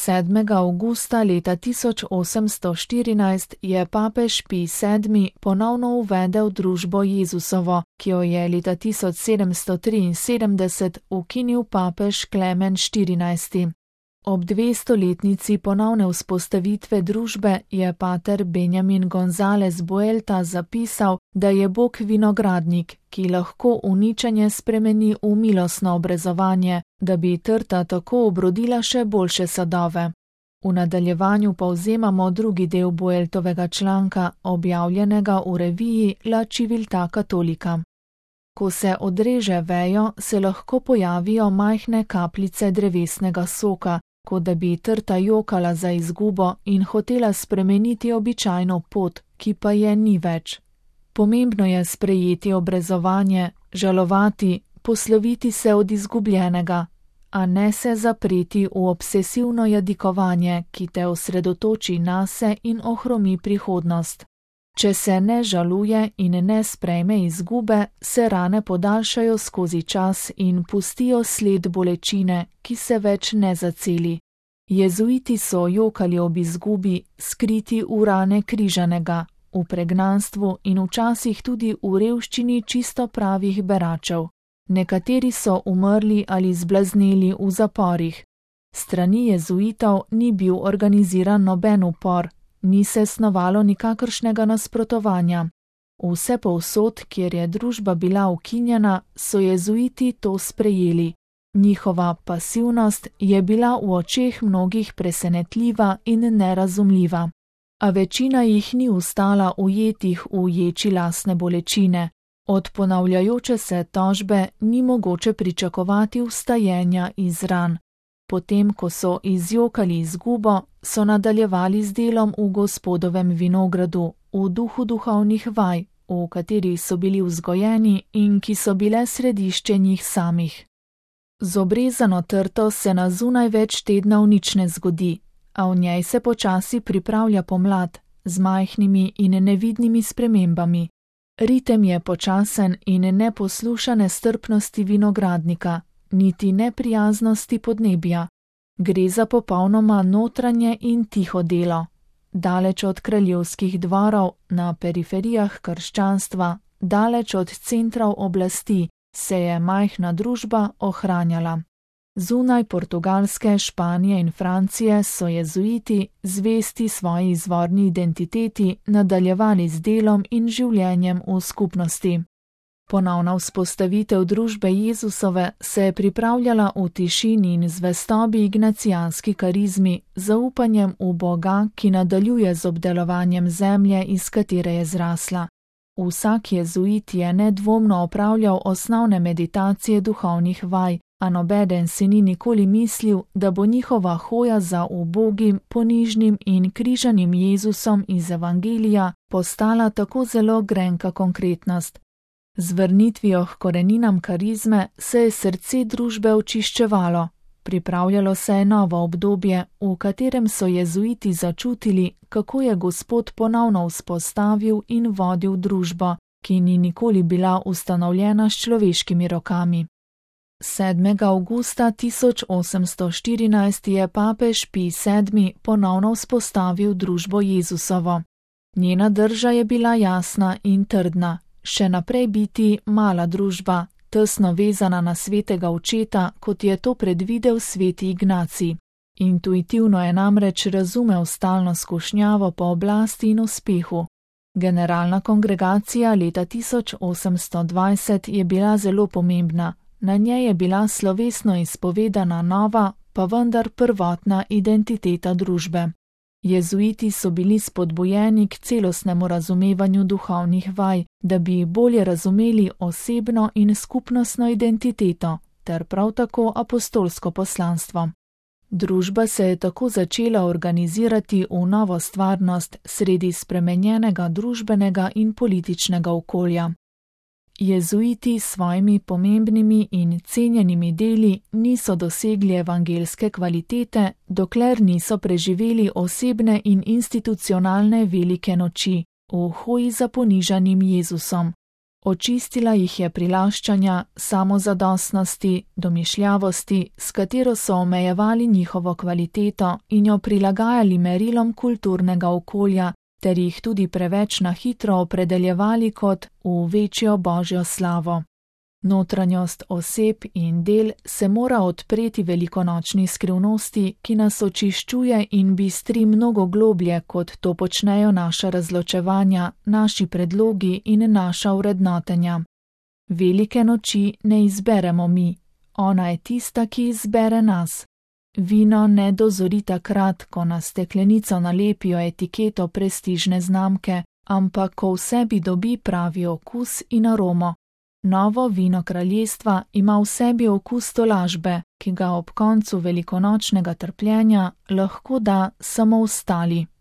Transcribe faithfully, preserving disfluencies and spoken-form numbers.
sedmega avgusta leta tisoč osemsto štirinajst je papež Pij sedmi ponovno uvedel družbo Jezusovo, ki jo je leta tisoč sedemsto triinsedemdeset ukinil papež Klemen štirinajsti. Ob dvestoletnici ponovne vzpostavitve družbe je pater Benjamin González Buelta zapisal, da je Bog vinogradnik, ki lahko uničenje spremeni v milostno obrezovanje, da bi trta tako obrodila še boljše sadove. V nadaljevanju povzemamo drugi del Bueltovega članka, objavljenega v reviji La Civiltà Cattolica. Ko se odreže vejo, se lahko pojavijo majhne kapljice drevesnega soka, kot da bi trta jokala za izgubo in hotela spremeniti običajno pot, ki pa je ni več. Pomembno je sprejeti obrezovanje, žalovati, posloviti se od izgubljenega, a ne se zapreti v obsesivno jadikovanje, ki te osredotoči nase in ohromi prihodnost. Če se ne žaluje in ne sprejme izgube, se rane podaljšajo skozi čas in pustijo sled bolečine, ki se več ne zaceli. Jezuiti so jokali ob izgubi, skriti v rane križanega, v pregnanstvu in včasih tudi v revščini čisto pravih beračev. Nekateri so umrli ali zblazneli v zaporih. Strani jezuitov ni bil organiziran noben upor, ni se snovalo nikakršnega nasprotovanja. Vse povsod, kjer je družba bila ukinjena, so jezuiti to sprejeli. Njihova pasivnost je bila v očeh mnogih presenetljiva in nerazumljiva. A večina jih ni ustala ujetih v ječi lastne bolečine. Od ponavljajoče se tožbe ni mogoče pričakovati vstajenja iz ran. Potem, ko so izjokali izgubo, so nadaljevali z delom v Gospodovem vinogradu, v duhu duhovnih vaj, v katerih so bili vzgojeni in ki so bile središče njih samih. Z obrezano trto se na zunaj več tednov nič ne zgodi, a v njej se počasi pripravlja pomlad, z majhnimi in nevidnimi spremembami. Ritem je počasen in ne posluša nestrpnosti vinogradnika, niti neprijaznosti podnebja. Gre za popolnoma notranje in tiho delo. Daleč od kraljevskih dvorov, na periferijah krščanstva, daleč od centrov oblasti, se je majhna družba ohranjala. Zunaj Portugalske, Španije in Francije so jezuiti, zvesti svoji izvorni identiteti, nadaljevali z delom in življenjem v skupnosti. Ponovna vzpostavitev družbe Jezusove se je pripravljala v tišini in zvestobi ignacijanski karizmi, zaupanjem v Boga, ki nadaljuje z obdelovanjem zemlje, iz katere je zrasla. Vsak jezuit je nedvomno opravljal osnovne meditacije duhovnih vaj, a nobeden si ni nikoli mislil, da bo njihova hoja za ubogim, ponižnim in križanim Jezusom iz Evangelija postala tako zelo grenka konkretnost. Z vrnitvijo k koreninam karizme se je srce družbe očiščevalo, pripravljalo se je novo obdobje, v katerem so jezuiti začutili, kako je Gospod ponovno vzpostavil in vodil družbo, ki ni nikoli bila ustanovljena s človeškimi rokami. sedmega avgusta tisoč osemsto štirinajst je papež Pij sedmi ponovno vzpostavil družbo Jezusovo. Njena drža je bila jasna in trdna, še naprej biti mala družba, tesno vezana na svetega očeta, kot je to predvidel sveti Ignacij. Intuitivno je namreč razumel stalno skušnjavo po oblasti in uspehu. Generalna kongregacija leta tisoč osemsto dvajset je bila zelo pomembna. Na njej je bila slovesno izpovedana nova, pa vendar prvotna identiteta družbe. Jezuiti so bili spodbujeni k celostnemu razumevanju duhovnih vaj, da bi bolje razumeli osebno in skupnostno identiteto, ter prav tako apostolsko poslanstvo. Družba se je tako začela organizirati v novo stvarnost sredi spremenjenega družbenega in političnega okolja. Jezuiti s svojimi pomembnimi in cenjenimi deli niso dosegli evangelske kvalitete, dokler niso preživeli osebne in institucionalne velike noči v hoji za ponižanim Jezusom. Očistila jih je prilaščanja, samozadostnosti, domišljavosti, s katero so omejevali njihovo kvaliteto in jo prilagajali merilom kulturnega okolja, ter jih tudi preveč na hitro opredeljevali kot v večjo božjo slavo. Notranjost oseb in del se mora odpreti velikonočni skrivnosti, ki nas očiščuje in bistri mnogo globlje, kot to počnejo naša razločevanja, naši predlogi in naša vrednotenja. Velike noči ne izberemo mi, ona je tista, ki izbere nas. Vino ne dozori takrat, ko na steklenico nalepijo etiketo prestižne znamke, ampak ko v sebi dobi pravi okus in aromo. Novo vino kraljestva ima v sebi okus tolažbe, ki ga ob koncu velikonočnega trpljenja lahko da samo ostali.